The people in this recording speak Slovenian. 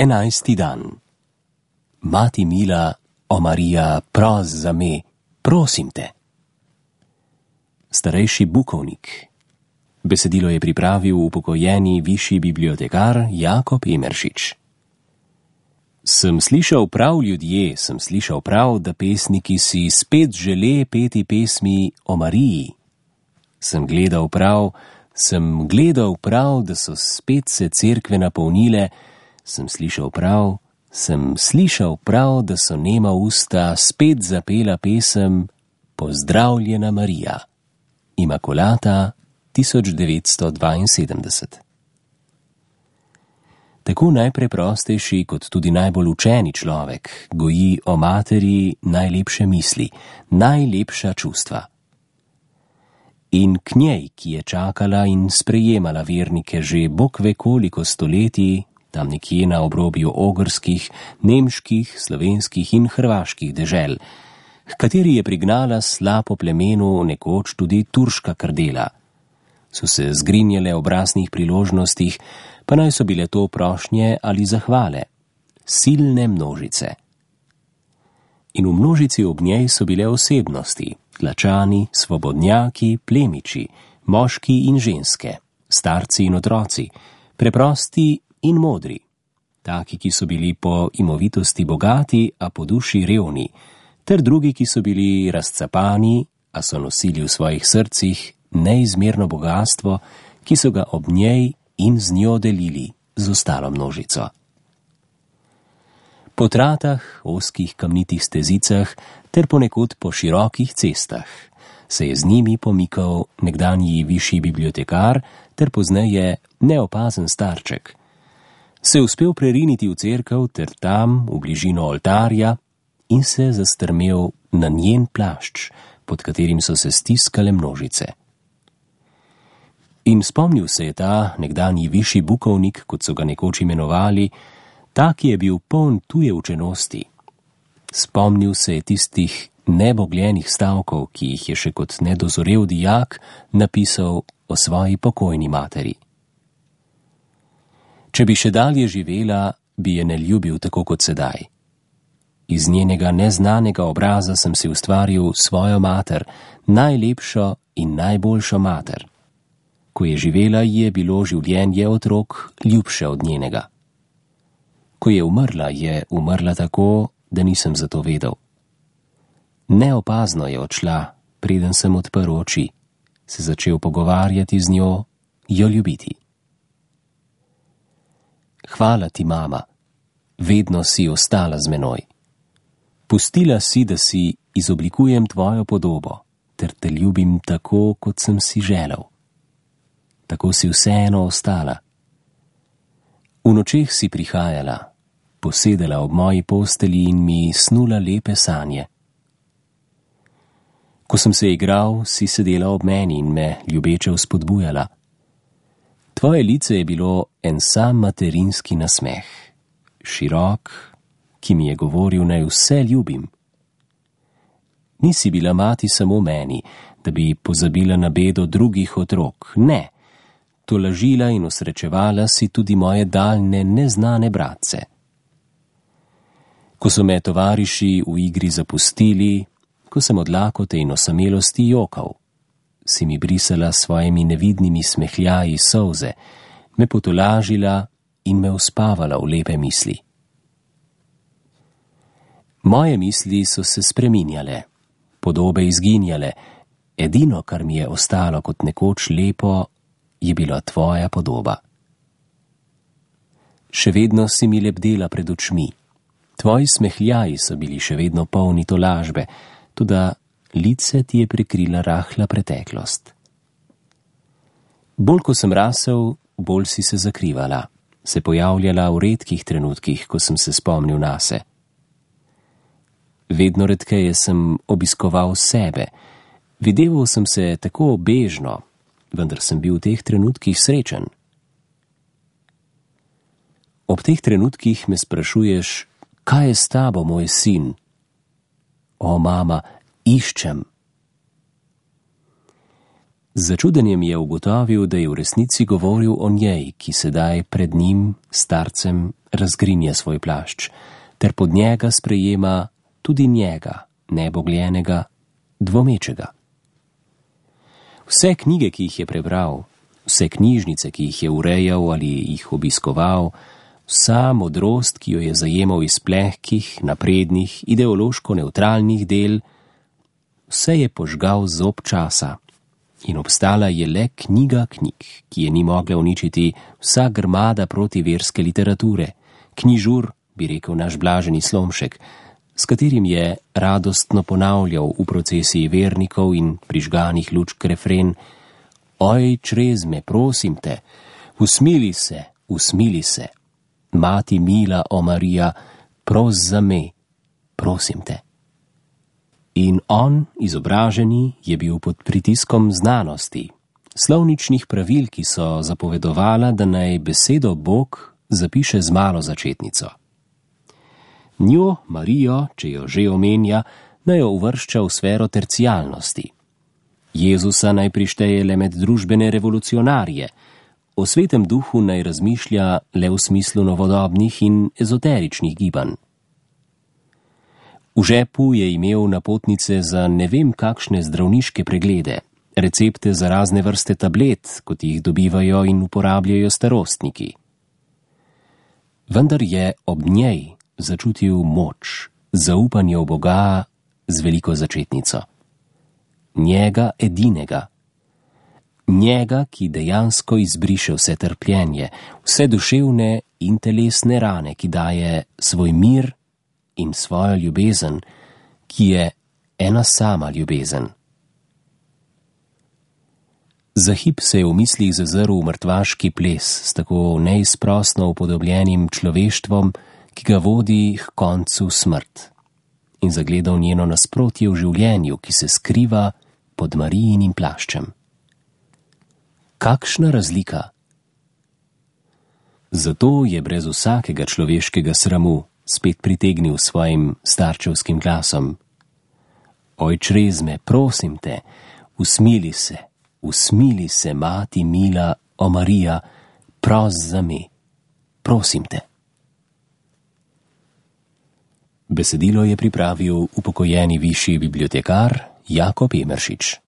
11. dan. Mati mila, o Marija, pros za me, prosim te. Starejši bukovnik. Besedilo je pripravil upokojeni višji bibliotekar Jakob Emeršič. Sem slišal prav, ljudje, sem slišal prav, da pesniki si spet žele peti pesmi o Mariji. Sem gledal prav, da so spet se cerkve napolnile, sem slišal prav, da so nema usta spet zapela pesem Pozdravljena Marija. Imakulata 1972. Tako najpreprostejši kot tudi najbolj učeni človek goji o materi najlepše misli, najlepša čustva. In k njej, ki je čakala in sprejemala vernike že bog ve koliko stoletij, tam nekje na obrobju ogrskih, nemških, slovenskih in hrvaških dežel, h kateri je prignala slapo plemenu nekoč tudi turška krdela. So se zgrinjale ob raznih priložnostih, pa naj so bile to prošnje ali zahvale. Silne množice. In v množici ob njej so bile osebnosti, tlačani, svobodnjaki, plemiči, moški in ženske, starci in otroci, preprosti in modri, taki, ki so bili po imovitosti bogati, a po duši revni, ter drugi, ki so bili razcapani, a so nosili v svojih srcih neizmerno bogastvo, ki so ga ob njej in z njo delili z ostalo množico. Po tratah, ozkih kamnitih stezicah ter ponekod po širokih cestah se je z njimi pomikal nekdanji višji bibliotekar ter pozneje neopazen starček. Se je uspel preriniti v cerkev ter tam, v bližino oltarja, in se zastrmel na njen plašč, pod katerim so se stiskale množice. In spomnil se je ta nekdanji višji bukovnik, kot so ga nekoč imenovali, ta, ki je bil poln tuje učenosti. Spomnil se je tistih nebogljenih stavkov, ki jih je še kot nedozorel dijak napisal o svoji pokojni materi. Če bi še dalje živela, bi je ne ljubil tako kot sedaj. Iz njenega neznanega obraza sem si ustvaril svojo mater, najlepšo in najboljšo mater. Ko je živela, je bilo življenje otrok ljubše od njenega. Ko je umrla tako, da nisem za to vedel. Neopazno je odšla, preden sem odprl oči, se začel pogovarjati z njo, jo ljubiti. Hvala ti, mama, vedno si ostala z menoj. Pustila si, da si izoblikujem tvojo podobo, ter te ljubim tako, kot sem si želel. Tako si vseeno ostala. V nočeh si prihajala, posedela ob moji posteli in mi snula lepe sanje. Ko sem se igral, si sedela ob meni in me ljubeče vzpodbujala. Tvoje lice je bilo en sam materinski nasmeh, širok, ki mi je govoril, naj vse ljubim. Nisi bila mati samo meni, da bi pozabila na bedo drugih otrok, ne. Tolažila in osrečevala si tudi moje daljne neznane bratce. Ko so me tovariši v igri zapustili, ko sem od lakote in osamelosti jokal, si mi brisala s svojimi nevidnimi smehljaji solze, me potolažila in me uspavala v lepe misli. Moje misli so se spreminjale, podobe izginjale, edino, kar mi je ostalo kot nekoč lepo, je bila tvoja podoba. Še vedno si mi lebdela pred očmi. Tvoji smehljaji so bili še vedno polni tolažbe, toda lice ti je prekrila rahla preteklost. Bolj ko sem rasel, bolj si se zakrivala, se pojavljala v redkih trenutkih, ko sem se spomnil nase. Vedno redkeje sem obiskoval sebe, videval sem se tako bežno, vendar sem bil v teh trenutkih srečen. Ob teh trenutkih me sprašuješ, kaj je s tabo, moj sin? O, mama, iščem. Z začudenjem je ugotovil, da je v resnici govoril o njej, ki sedaj pred njim, starcem, razgrinja svoj plašč, ter pod njega sprejema tudi njega, nebogljenega, dvomečega. Vse knjige, ki jih je prebral, vse knjižnice, ki jih je urejal ali jih obiskoval, vsa modrost, ki jo je zajemal iz plehkih, naprednih, ideološko nevtralnih del, vse je požgal zob časa in obstala je le knjiga knjig, ki je ni mogla uničiti vsa grmada protiverske literature, knjižur, bi rekel naš blaženi Slomšek, s katerim je radostno ponavljal v procesiji vernikov in prižganih lučk refren: Oj, črezme, prosim te, usmili se, mati mila, o Marija, pros za me, prosim te. In on, izobraženi, je bil pod pritiskom znanosti, slovničnih pravil, ki so zapovedovala, da naj besedo Bog zapiše z malo začetnico. Njo, Marijo, če jo že omenja, naj jo uvršča v sfero tercialnosti. Jezusa naj prišteje le med družbene revolucionarje, o svetem duhu naj razmišlja le v smislu novodobnih in ezoteričnih gibanj. V žepu je imel napotnice za ne vem kakšne zdravniške preglede, recepte za razne vrste tablet, kot jih dobivajo in uporabljajo starostniki. Vendar je ob njej začutil moč, zaupanje v Boga z veliko začetnico. Njega edinega. Njega, ki dejansko izbriše vse trpljenje, vse duševne in telesne rane, ki daje svoj mir in svojo ljubezen, ki je ena sama ljubezen. Za hip se je v mislih zazrl v mrtvaški ples s tako neizprosno upodobljenim človeštvom, ki ga vodi k koncu smrt, in zagledal njeno nasprotje v življenju, ki se skriva pod Marijinim plaščem. Kakšna razlika! Zato je brez vsakega človeškega sramu spet pritegnil svojim starčevskim glasom: Oj, črezme, prosim te, usmili se, mati mila, o Marija, pros za me, prosim te. Besedilo je pripravil upokojeni višji bibliotekar Jakob Emeršič.